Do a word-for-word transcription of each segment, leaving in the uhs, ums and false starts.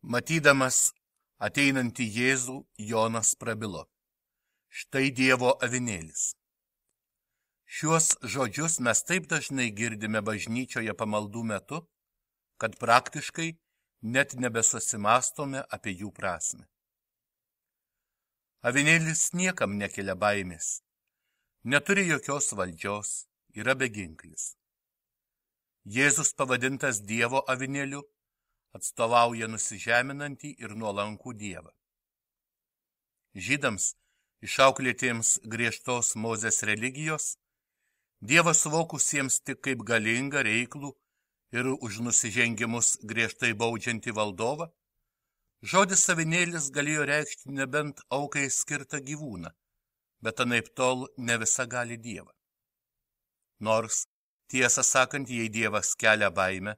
Matydamas ateinantį Jėzų, Jonas prabilo: štai Dievo avinėlis. Šiuos žodžius mes taip dažnai girdime bažnyčioje pamaldų metu, kad praktiškai net nebesusimastome apie jų prasmę. Avinėlis niekam nekelia baimės, neturi jokios valdžios, yra beginklis. Jėzus pavadintas Dievo avinėliu atstovauja nusižeminantį ir nuolankų Dievą. Žydams, išauklėtiems griežtos Mozės religijos, Dievą suvokusiems tik kaip galingą, reiklų ir už nusižengimus griežtai baudžiantį valdovą, žodis avinėlis galėjo reikšti nebent aukai skirtą gyvūną, bet anaiptol ne visagalį Dievą. Nors, tiesą sakant, jei Dievas kelia baimę,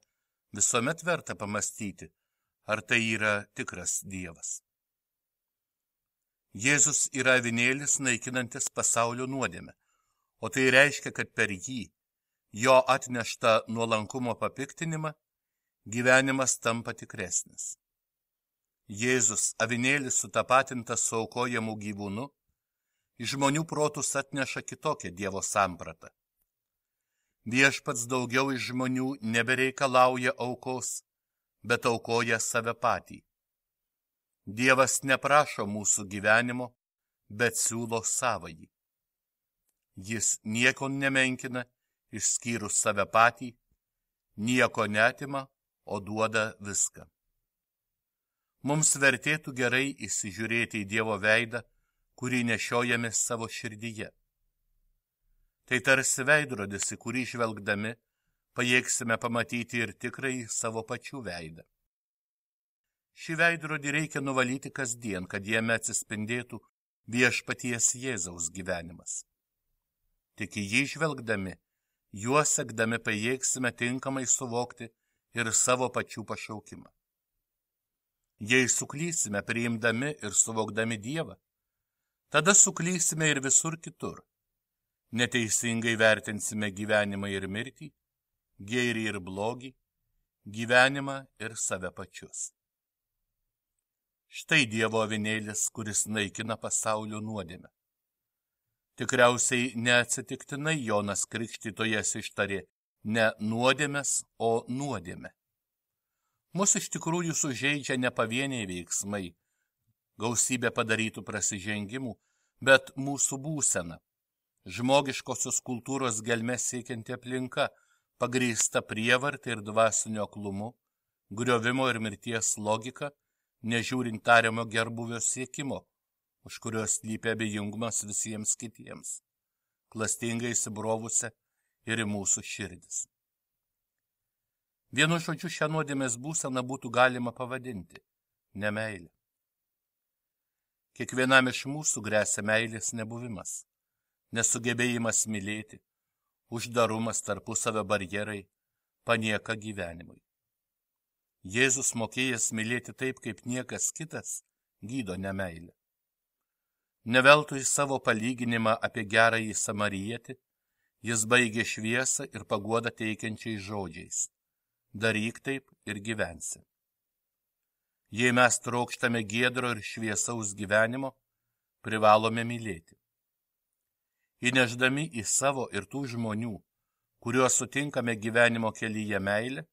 visuomet verta pamastyti, ar tai yra tikras Dievas. Jėzus yra avinėlis naikinantis pasaulio nuodėmę, o tai reiškia, kad per jį, jo atneštą nuolankumo papiktinimą, gyvenimas tampa tikresnis. Jėzus, avinėlis sutapatintas su aukojamu gyvūnu, į žmonių protus atneša kitokią Dievo sampratą. Viešpats daugiau iš žmonių nebereikalauja aukos, bet aukoja save patį. Dievas neprašo mūsų gyvenimo, bet siūlo savąjį. Jis nieko nemenkina, išskyrus save patį, nieko neatima, o duoda viską. Mums vertėtų gerai įsižiūrėti į Dievo veidą, kurį nešiojame savo širdyje. Tai tarsi veidrodis, į kurį žvelgdami pajėgsime pamatyti ir tikrai savo pačių veidą. Šį veidrodį reikia nuvalyti kasdien, kad jame atsispindėtų viešpaties Jėzaus gyvenimas. Tik į jį žvelgdami, juo sekdami pajėgsime tinkamai suvokti ir savo pačių pašaukimą. Jei suklysime priimdami ir suvokdami Dievą, tada suklysime ir visur kitur. Neteisingai vertinsime gyvenimą ir mirtį, gėrį ir blogį, gyvenimą ir save pačius. Štai Dievo avinėlis, kuris naikina pasaulio nuodėmę. Tikriausiai neatsitiktinai Jonas Krikštytojas ištarė ne nuodėmės, o nuodėmę. Mus iš tikrųjų sužeidžia ne pavieniai veiksmai, gausybė padarytų prasižengimų, bet mūsų būsena. Žmogiškosios kultūros gelmes siekianti aplinka, pagrįsta prievarta ir dvasiniu aklumu, griovimo ir mirties logika, nežiūrint tariamo gerbuvio siekimo, už kurios slypi abejingumas visiems kitiems, klastingai įsibrovusią ir į mūsų širdis. Vienu žodžiu, šią nuodėmės būseną būtų galima pavadinti nemeilė. Kiekvienam iš mūsų gresia meilės nebuvimas, nesugebėjimas mylėti, uždarumas, tarpusavio barjerai, panieka gyvenimui. Jėzus, mokėjęs mylėti taip, kaip niekas kitas, gydo nemeilę. Neveltui savo palyginimą apie gerąjį samarietį, jis baigė šviesą ir paguodą teikiančiais žodžiais: daryk taip ir gyvensi. Jei mes trokštame giedro ir šviesaus gyvenimo, privalome mylėti. Įneždami į savo ir tų žmonių, kuriuos sutinkame gyvenimo kelyje meilę,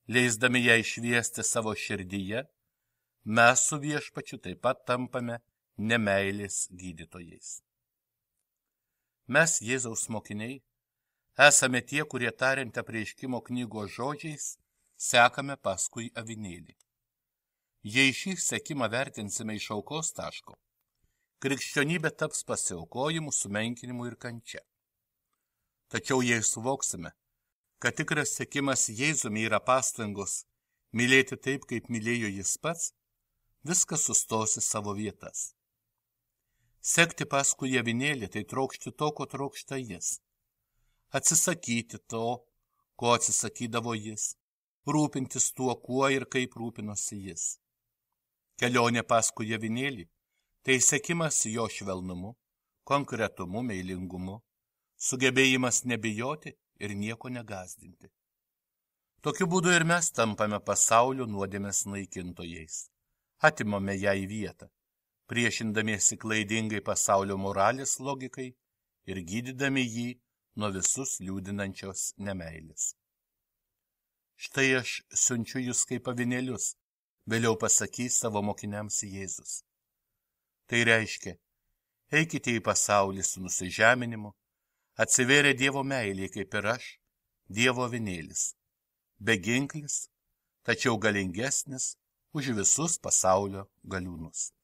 leisdami ją išviesti savo širdyje, mes su viešpačiu taip pat tampame nemeilės gydytojais. Mes, Jėzaus mokiniai, esame tie, kurie tariant apreiškimo knygos žodžiais, sekame paskui avinėlį. Jei šį sekimą vertinsime iš aukos taško, krikščionybė taps pasiaukojimu, sumenkinimu ir kančia. Tačiau jei suvoksime, kad tikras sekimas Jėzumi yra pastangos mylėti taip, kaip mylėjo jis pats, viskas sustos į savo vietas. Sekti paskui avinėlį tai trokšti to, ko trokšta jis. Atsisakyti to, ko atsisakydavo jis. Rūpintis tuo, kuo ir kaip rūpinosi jis. Kelionė paskui avinėlį tai sekimas jo švelnumu, konkretumu, meilingumu, sugebėjimas nebijoti ir nieko negazdinti. Tokiu būdu ir mes tampame pasaulio nuodėmės naikintojais. Atimame ją į vietą, priešindamiesi klaidingai pasaulio moralės logikai ir gydydami jį nuo visus liūdinančios nemeilės. Štai aš siunčiu jūs kaip avinėlius, vėliau pasakys savo mokiniams Jėzus. Tai reiškia, eikite į pasaulį su nusižeminimu, atsivėrė Dievo meilė kaip ir aš, Dievo avinėlis, beginklis, tačiau galingesnis už visus pasaulio galiūnus.